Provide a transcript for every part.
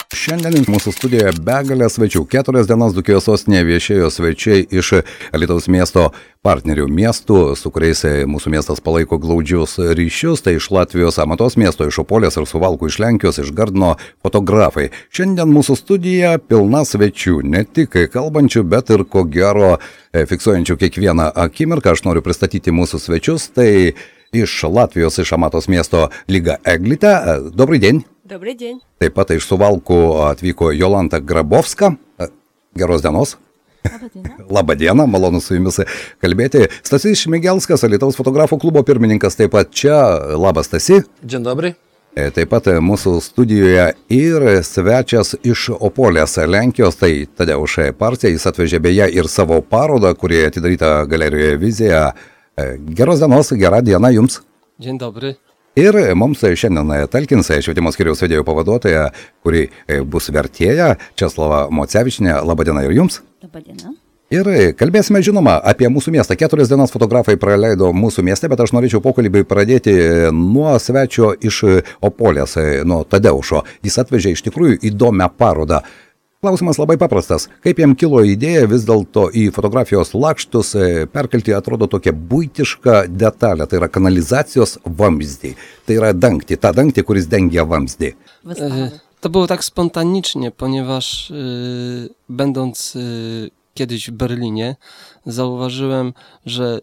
Šiandien mūsų studijoje begalė svečių. 4 dienas Dzūkijos sostinėje viešėjo svečiai iš Alytaus miesto partnerių miestų, su kuriais mūsų miestas palaiko glaudžius ryšius. Tai iš Latvijos Amatos miesto, iš Opolės ir Suvalkų, iš Lenkijos, iš Gardino fotografai. Šiandien mūsų studija pilna svečių, ne tik kalbančių, bet ir ko gero fiksuojančių kiekvieną akimirką. Aš noriu pristatyti mūsų svečius. Tai iš Latvijos, iš Amatos miesto Liga Eglite. Добрый день. Добрый день. Taip pat iš Suvalkų atvyko Jolanta Grabovska. Geros dienos. Labadiena, malonu su jumis kalbėti. Stasys Šmigelskas, Alytaus fotografų klubo pirmininkas, taip pat čia. Labas, Stasi. Dzień dobry. Taip pat mūsų studijoje ir svečias iš Opolės, Lenkijos, tai Tadeusz Parcija. Jis atvežė beje ir savo parodą, kuri atidaryta galerijoje Vizija. Geros dienos, gerą dieną jums. Dzień dobry. Ir mums šiandien talkins švietimo skyriaus vedėjo pavaduotoja, kuri bus vertėja, Česlava Mocevičinė. Labadiena ir jums. Labadiena. Ir kalbėsime, žinoma, apie mūsų miestą. 4 dienas fotografai praleido mūsų mieste, bet aš norėčiau pokalbį pradėti nuo svečio iš Opolės, nuo Tadeušo. Jis atvežė iš tikrųjų įdomią parodą. Klausimas labai paprastas. Kaip jam kilo idėja vis dėlto į fotografijos lakštus perkelti, atrodo, tokia buitiška detalė. Tai yra kanalizacijos wamzdį. Tai yra dangtį, ta dangtį, kuris dengia wamzdį. To było tak spontanicznie, ponieważ będąc kiedyś w Berlinie, zauważyłem, że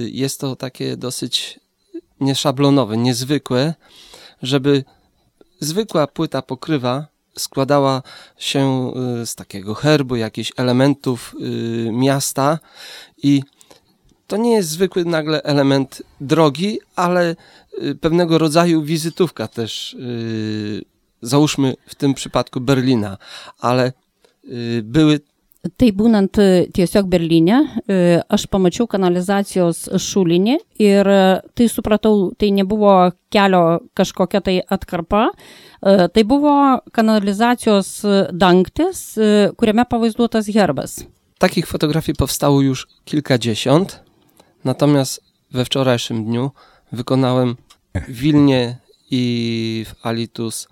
jest to takie dosyć nieszablonowe, niezwykłe, żeby zwykła płyta pokrywa składała się z takiego herbu, jakichś elementów miasta i to nie jest zwykły nagle element drogi, ale pewnego rodzaju wizytówka też, załóżmy w tym przypadku Berlina, ale były. Tai būnant tiesiog Berlyne, aš pamačiau kanalizacijos šulinį ir tai supratau, tai nebuvo kelio kažkokia tai atkarpa, tai buvo kanalizacijos dangtis, kuriame pavaizduotas herbas. Takich fotografii powstało już kilkadziesiąt, natomiast we wczorajszym dniu wykonałem w Wilnie i w Alytus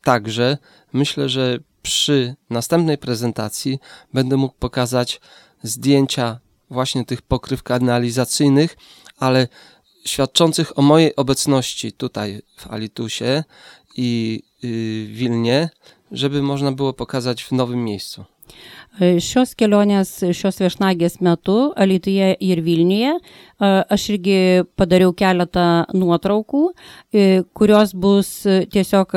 także. Myślę, że przy następnej prezentacji będę mógł pokazać zdjęcia właśnie tych pokryw kanalizacyjnych, ale świadczących o mojej obecności tutaj w Alytusie i Wilnie, żeby można było pokazać w nowym miejscu. Šios kelionės, šios viešnagės metu Alytuje ir Vilniuje aš irgi padariau keletą nuotraukų, kurios bus tiesiog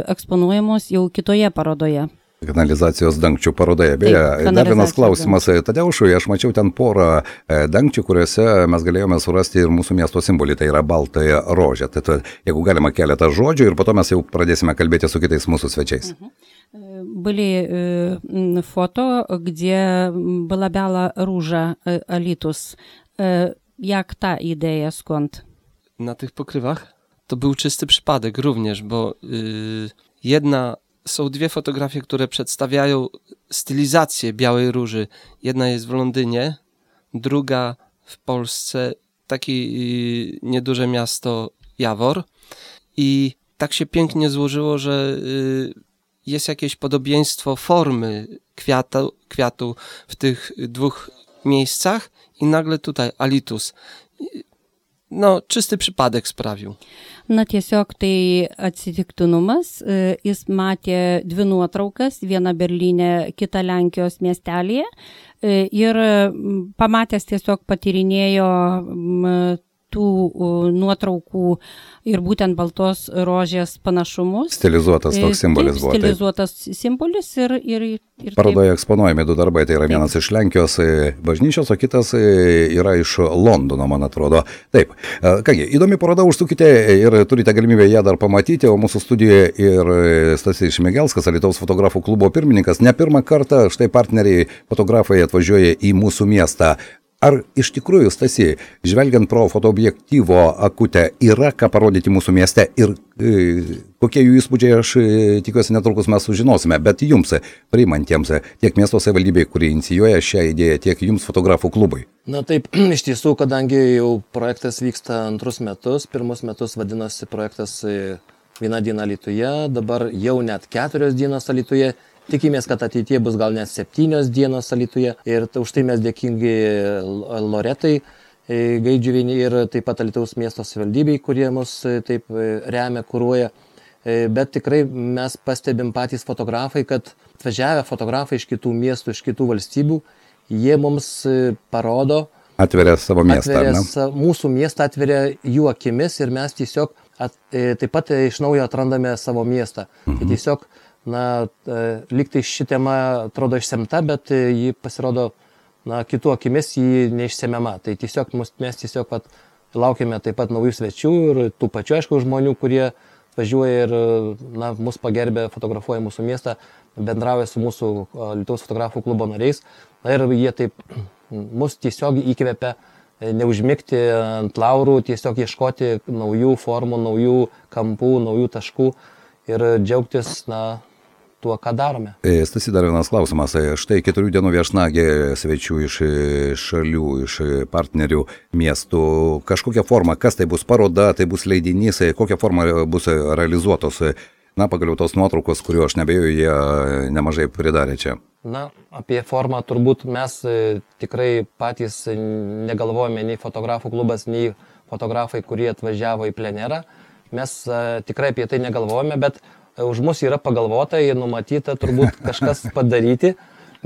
eksponuojamos jau kitoje parodoje. Kanalizacijos dangčių parodoje. Beje, dar vienas klausimas Tadeušui. Aš mačiau ten porą dangčių, kuriuose mes galėjome surasti ir mūsų miesto simbolį, tai yra baltąją rožę. Tai jeigu galima keletą žodžių ir po to mes jau pradėsime kalbėti su kitais mūsų svečiais. Были фото, где была белая róża Alytus. Jak ta idea, skąd? Na tych pokrywach to był czysty przypadek również, bo są dwie fotografie, które przedstawiają stylizację białej róży. Jedna jest w Londynie, druga w Polsce, takie nieduże miasto Jawor. I tak się pięknie złożyło, że jest jakieś podobieństwo formy kwiatu w tych dwóch miejscach i nagle tutaj Alytus. No, czysty przypadek sprawił. Na tiesiog tai atsitiktinumas. Jis matė dvi nuotraukas, vieną Berlyne, kitą Lenkijos miestelėje ir pamatęs tiesiog patyrinėjo tų nuotraukų ir būtent baltos rožės panašumus. Stilizuotas toks simbolis buvo. Stilizuotas simbolis ir parodoje eksponuojami du darbai, tai yra vienas iš Lenkijos bažnyčios, o kitas yra iš Londono, man atrodo. Taip, kągi, įdomi paroda, užsukite ir turite galimybę ją dar pamatyti, o mūsų studijoje ir Stasys Šmigelskas, Alytaus fotografų klubo pirmininkas. Ne pirmą kartą štai partneriai fotografai atvažiuoja į mūsų miestą. Ar iš tikrųjų, Stasy, žvelgiant pro fotoobjektyvo akutę, yra ką parodyti mūsų mieste ir kokie jų įspūdžiai, aš tikiuosi netrukus mes sužinosime, bet jums, priimantiems, tiek miesto savivaldybei, kuri inicijuoja šią idėją, tiek jums fotografų klubui? Na taip, iš tiesų, kadangi jau projektas vyksta antrus metus, pirmus metus vadinosi projektas 1 diena Alytuje, dabar jau net 4 dienos Alytuje. Tikimės, kad ateityje bus gal net 7 dienos Alytuje. Ir už tai mes dėkingi Loretai Gaidžiuvienei ir taip pat Alytaus miesto savivaldybei, kurie mus taip remia, kuruoja. Bet tikrai mes pastebim patys fotografai, kad atvažiavę fotografai iš kitų miestų, iš kitų valstybių, jie mums parodo, atveria savo miestą. Mūsų miestą atveria jų akimis ir mes tiesiog taip pat iš naujo atrandame savo miestą. Tai tiesiog, lygtai ši tema atrodo išsemta, bet ji pasirodo, kitų akimis ji neišsemiama. Tai tiesiog mes tiesiog laukiame taip pat naujų svečių ir tų pačių, aišku, žmonių, kurie važiuoja ir mus pagerbė, fotografuoja mūsų miestą, bendrauja su mūsų Alytaus fotografų klubo nariais. Ir jie taip mus tiesiog įkvepia neužmigti ant laurų, tiesiog ieškoti naujų formų, naujų kampų, naujų taškų ir džiaugtis tuo, ką darome. Stasy, dar vienas klausimas. Štai 4 dienų viešnagė svečių iš šalių, iš partnerių miestų. Kažkokia forma, kas tai bus, paroda, tai bus leidinys, kokia forma bus realizuotos? Pagaliau tos nuotraukos, kuriuo aš nebejoju, jie nemažai pridarė čia. Apie formą turbūt mes tikrai patys negalvojame, nei fotografų klubas, nei fotografai, kurie atvažiavo į plenerą. Mes tikrai apie tai negalvojame, bet už mus yra pagalvota ir numatyta turbūt kažkas padaryti.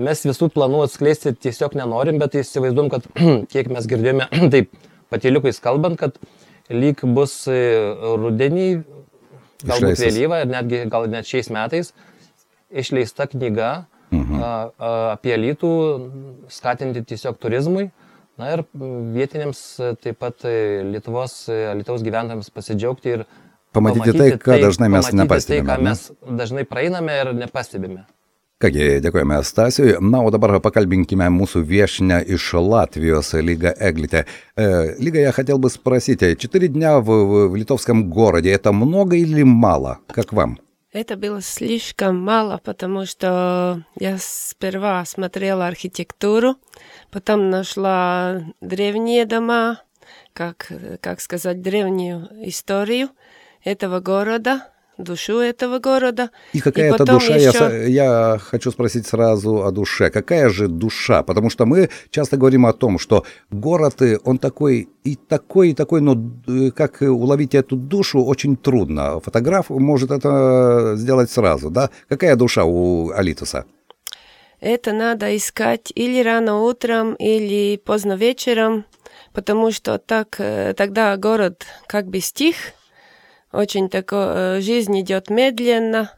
Mes visų planų atskleisti tiesiog nenorim, bet įsivaizduom, kad kiek mes girdėjome, taip patyliukais kalbant, kad lyg bus rudenį, galbūt vėlyva ir netgi gal net šiais metais išleista knyga apie Alytų, skatinti tiesiog turizmui. Ir vietiniams taip pat Alytaus gyventojams pasidžiaugti ir pamatyti tai, ką dažnai mes nepastebime. Tai, ką mes dažnai praeiname ir nepastebime. Kągi, dėkojame Stasiui. O dabar поkalbinkime mūsу вешня iš Латвijos, Лига Эглите. Лига, я хотел бы спросить, 4 дня в литовском городе, это много или мало? Как вам? Это было слишком мало, потому что я сперва смотрела архитектуру, потом нашла древние дома, как сказать, древнюю историю этого города, душу этого города. И какая-то душа, я хочу спросить сразу о душе. Какая же душа? Потому что мы часто говорим о том, что город, он такой, но как уловить эту душу очень трудно. Фотограф может это сделать сразу, да? Какая душа у Алитуса? Это надо искать или рано утром, или поздно вечером, потому что тогда город как бы стих. Очень жизнь идет медленно,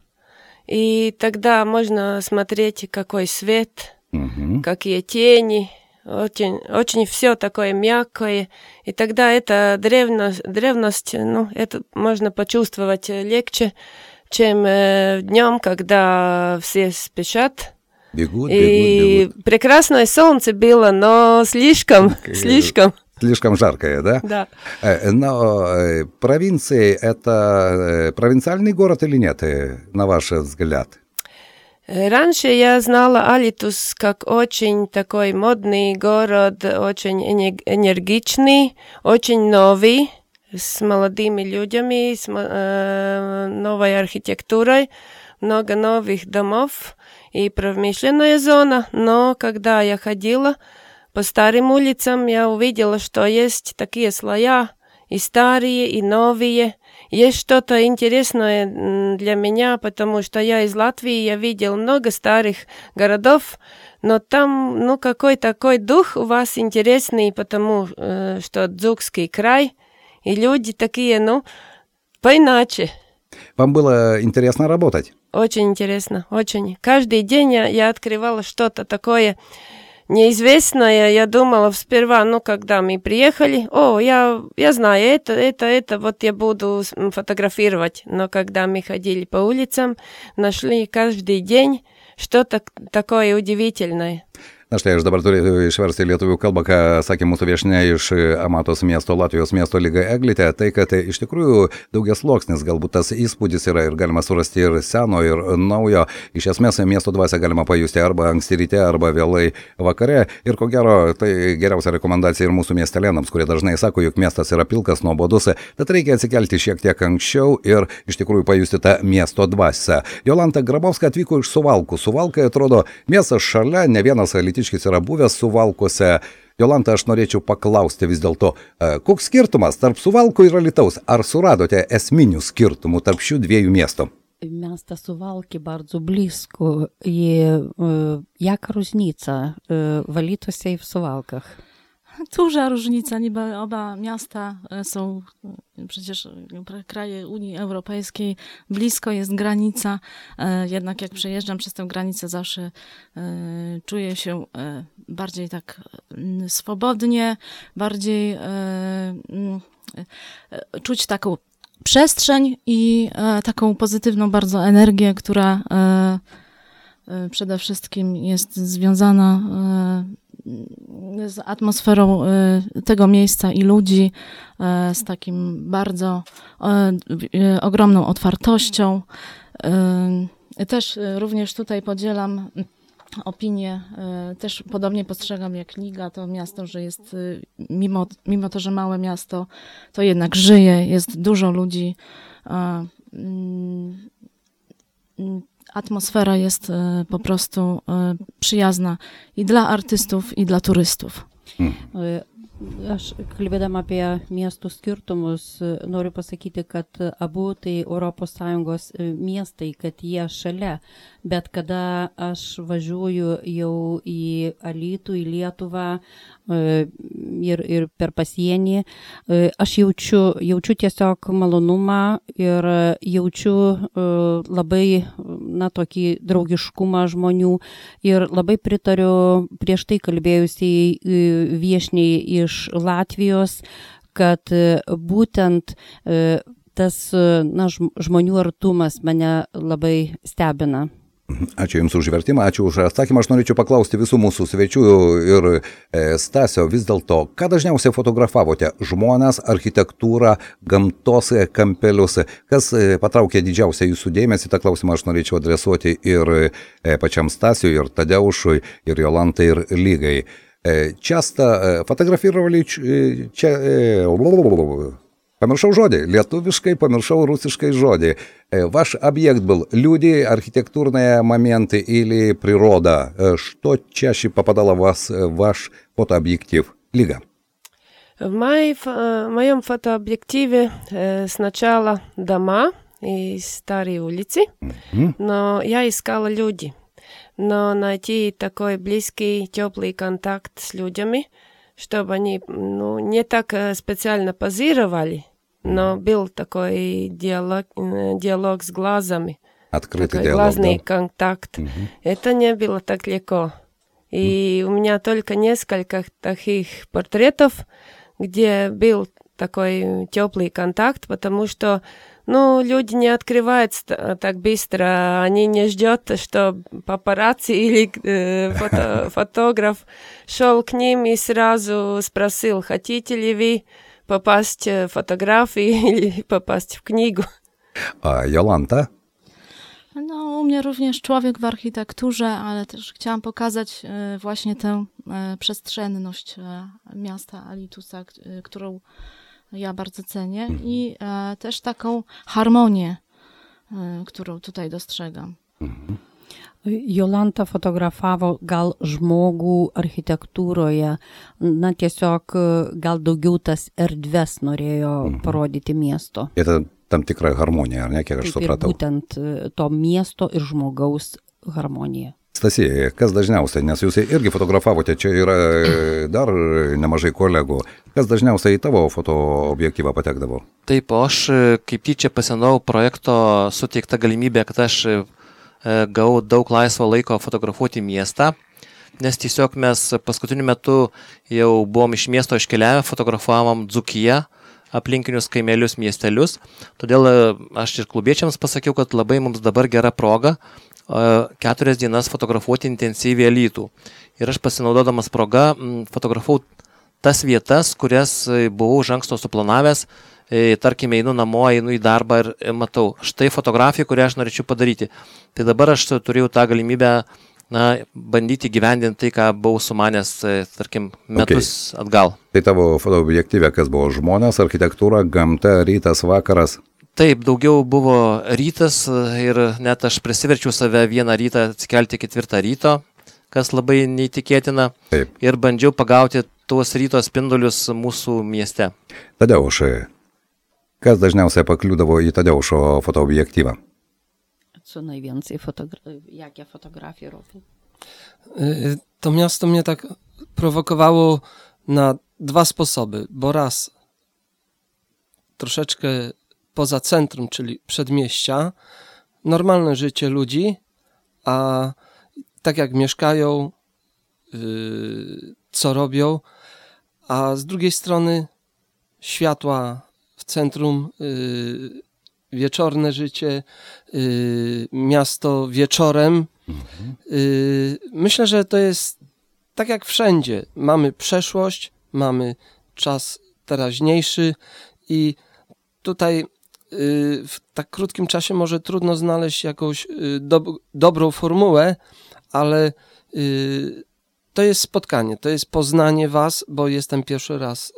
и тогда можно смотреть, какой свет, какие тени, очень все такое мягкое, и тогда эта древность, это можно почувствовать легче, чем днем, когда все спешат. Бегут. Прекрасное солнце было, но слишком. Слишком жаркое, да? Да. Но провинции – это провинциальный город или нет, на ваш взгляд? Раньше я знала Алитус как очень такой модный город, очень энергичный, очень новый, с молодыми людьми, с новой архитектурой, много новых домов и промышленная зона. Но когда я ходила по старым улицам, я увидела, что есть такие слоя, и старые, и новые. Есть что-то интересное для меня, потому что я из Латвии, я видел много старых городов, но там, какой такой дух у вас интересный, потому что Дзукский край, и люди такие, поиначе. Вам было интересно работать? Очень интересно, очень. Каждый день я открывала что-то такое неизвестное. Я думала сперва, когда мы приехали, я знаю, это, вот я буду фотографировать. Но когда мы ходили по улицам, нашли каждый день что-то такое удивительное. Na štai aš dabar turiu išversti į lietuvių kalbą, ką sakė mūsų viešnia iš Amatos miesto, Latvijos miesto Lyga Eglitė, tai kad iš tikrųjų daugiasluoksnis galbūt tas įspūdis yra ir galima surasti ir seno, ir naujo. Iš esmės miesto dvasią galima pajusti arba anksti ryte, arba vėlai vakare. Ir ko gero, tai geriausia rekomendacija ir mūsų miestelėnams, kurie dažnai sako, jog miestas yra pilkas, nuobodus, tad reikia atsikelti šiek tiek anksčiau ir iš tikrųjų pajusti tą miesto dvasią. Jolanta Grabovska atvyko iš Suvalkų. Suvalkai atrodo miestas šalia, ne vienas alytiškis yra buvęs Suvalkuose. Jolanta, aš norėčiau paklausti vis dėlto, koks skirtumas tarp Suvalkų ir Alytaus? Ar suradote esminių skirtumų tarp šių dviejų miestų? Miasta Suwałki bardzo blisko i jaka różnica w Alytusie i w Suwałkach? Duża różnica, niby oba miasta są przecież kraje Unii Europejskiej, blisko jest granica, jednak jak przejeżdżam przez tę granicę zawsze czuję się bardziej tak swobodnie, bardziej czuć taką przestrzeń i taką pozytywną bardzo energię, która przede wszystkim jest związana z atmosferą tego miejsca i ludzi, z takim bardzo ogromną otwartością. Też również tutaj podzielam opinię, też podobnie postrzegam jak Liga, to miasto, że jest, mimo to, że małe miasto, to jednak żyje, jest dużo ludzi. Atmosfera jest po prostu przyjazna i dla artystów, i dla turystów. Aš kalbėdama apie miestų skirtumus noriu pasakyti, kad abu tai ES miestai, kad jie šalia, bet kada aš važiuoju jau į Alytų, į Lietuvą ir per pasienį, aš jaučiu tiesiog malonumą ir jaučiu labai tokį draugiškumą žmonių ir labai pritariu prieš tai kalbėjusiai viešniai iš Latvijos, kad būtent tas žmonių artumas mane labai stebina. Ačiū Jums už vertimą, ačiū už atsakymą. Aš norėčiau paklausti visų mūsų svečių ir Stasio, vis dėlto, ką dažniausiai fotografavote? Žmones, architektūrą, gamtos kampelius? Kas patraukė didžiausią Jūsų dėmesį? Ta klausimą aš norėčiau adresuoti ir pačiam Stasiui, ir Tadeušui, ir Jolantai, ir Lygai. Часто фотографировали, помершал жоди, литовишкой, помершал русской жоди. Ваш объект был люди, архитектурные моменты или природа? Что чаще попадало в вас, в ваш фотообъектив? Лига. В моем фотообъективе сначала дома и старые улицы, но я искала люди. Но найти такой близкий, теплый контакт с людьми, чтобы они не так специально позировали, но был такой диалог с глазами. Открытый такой диалог, глазный да? контакт. Это не было так легко. И у меня только несколько таких портретов, где был такой теплый контакт, потому что люди не открываются так быстро, они не ждут, что папарацци или фотограф шел к ним и сразу спросил, хотите ли вы попасть в фотографии или попасть в книгу. А Jolanta? U mnie również człowiek w architekturze, ale też chciałam pokazać właśnie tę przestrzenność miasta Alytusa, którą ja bardzo cenię i też taką harmonię, którą tutaj dostrzegam. Jolanta fotografavo gal žmogų architektūroje, tiesiog gal daugiau tas erdves norėjo parodyti miesto. Это tam tikra harmonija, ar ne, kiek aš supratau? Būtent to miesto ir žmogaus harmonija. Stasija, kas dažniausiai, nes jūs irgi fotografavote, čia yra dar nemažai kolegų, kas dažniausiai į tavo fotoobjektyvą patekdavo? Taip, aš kaip tyčia pasienau projekto suteikta galimybė, kad aš gavau daug laisvo laiko fotografuoti miestą, nes tiesiog mes paskutiniu metu jau buvom iš miesto iškeliavę, fotografavom Dzūkiją, aplinkinius kaimelius, miestelius. Todėl aš ir klubiečiams pasakiau, kad labai mums dabar gera proga 4 dienas fotografuoti intensyviai Alytų. Ir aš pasinaudodamas proga fotografavau tas vietas, kurias buvau iš anksto suplanavęs, tarkime, einu namo, einu į darbą ir matau, štai fotografija, kurią aš norėčiau padaryti. Tai dabar aš turėjau tą galimybę bandyti gyvendinti tai, ką buvau sumanęs, tarkim, metus atgal. Tai tavo fotoobjektyve, kas buvo žmonės, architektūra, gamta, rytas, vakaras? Taip, daugiau buvo rytas ir net aš prisiverčiau save vieną rytą atsikelti 4 ryto, kas labai neįtikėtina. Taip. Ir bandžiau pagauti tuos ryto spindulius mūsų mieste. Tadeušai, kas dažniausiai pakliūdavo į Tadeušo fotoobjektyvą? Co najwięcej jakie fotografie robił? To miasto mnie tak prowokowało na 2 sposoby, bo raz troszeczkę poza centrum, czyli przedmieścia, normalne życie ludzi, a tak jak mieszkają, co robią, a z drugiej strony światła w centrum, wieczorne życie, miasto wieczorem. Myślę, że to jest tak jak wszędzie. Mamy przeszłość, mamy czas teraźniejszy i tutaj w tak krótkim czasie może trudno znaleźć jakąś dobrą formułę, ale to jest spotkanie, to jest poznanie was, bo jestem pierwszy raz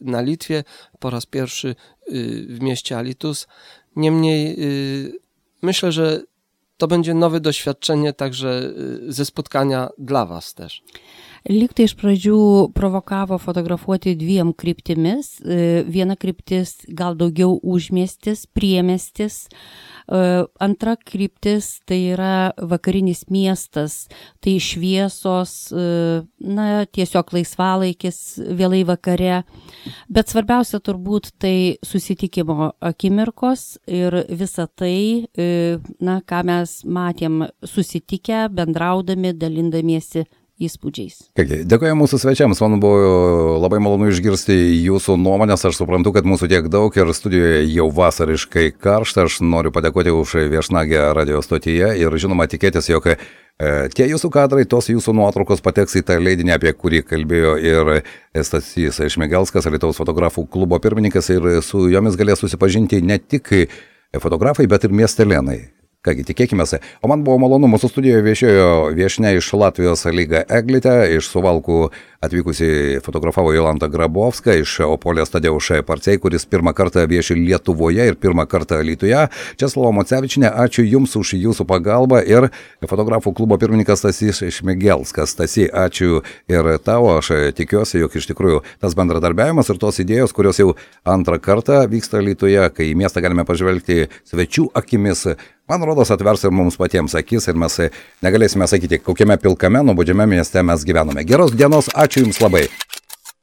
na Litwie, po raz pierwszy w mieście Alytus. Niemniej myślę, że to będzie nowe doświadczenie także ze spotkania dla was też. Lyg tai iš pradžių provokavo fotografuoti 2 kryptimis. Viena kryptis gal daugiau užmiestis, priemiestis. Antra kryptis tai yra vakarinis miestas, tai šviesos, tiesiog laisvalaikis vėlai vakare. Bet svarbiausia turbūt tai susitikimo akimirkos ir visa tai, ką mes matėm susitikę, bendraudami, dalindamiesi įspūdžiais. Dėkoju mūsų svečiams, man buvo labai malonu išgirsti jūsų nuomonės, aš suprantu, kad mūsų tiek daug ir studijoje jau vasariškai karšta, aš noriu padėkoti už viešnagę radio stotyje ir žinoma tikėtis, jog tie jūsų kadrai, tos jūsų nuotraukos pateks į tą leidinį, apie kurį kalbėjo ir Stasys Šmigelskas, Alytaus fotografų klubo pirmininkas, ir su jomis galės susipažinti ne tik fotografai, bet ir miestelėnai. Kągi, tikėkimės. O man buvo malonu, mūsų studijoje viešėjo viešnia iš Latvijos Lyga Eglitė, iš Suvalkų atvykusi fotografavo Jolanta Grabovska, iš Opolės Tadeuša Parcei, kuris pirmą kartą vieši Lietuvoje ir pirmą kartą Alytuje. Česlava Mocevičienė, ačiū Jums už Jūsų pagalbą, ir fotografų klubo pirmininkas Stasys Šmigelskas. Stasy, ačiū ir tavo, aš tikiuosi, jog iš tikrųjų tas bendradarbiavimas ir tos idėjos, kurios jau antrą kartą vyksta Alytuje, kai į miestą galime pažvelgti svečių akimis, man rodos atvers ir mums patiems akis ir mes negalėsime sakyti, kokiame pilkame, nuobodžiame mieste mes gyvename. Geros dienos, ačiū Jums labai.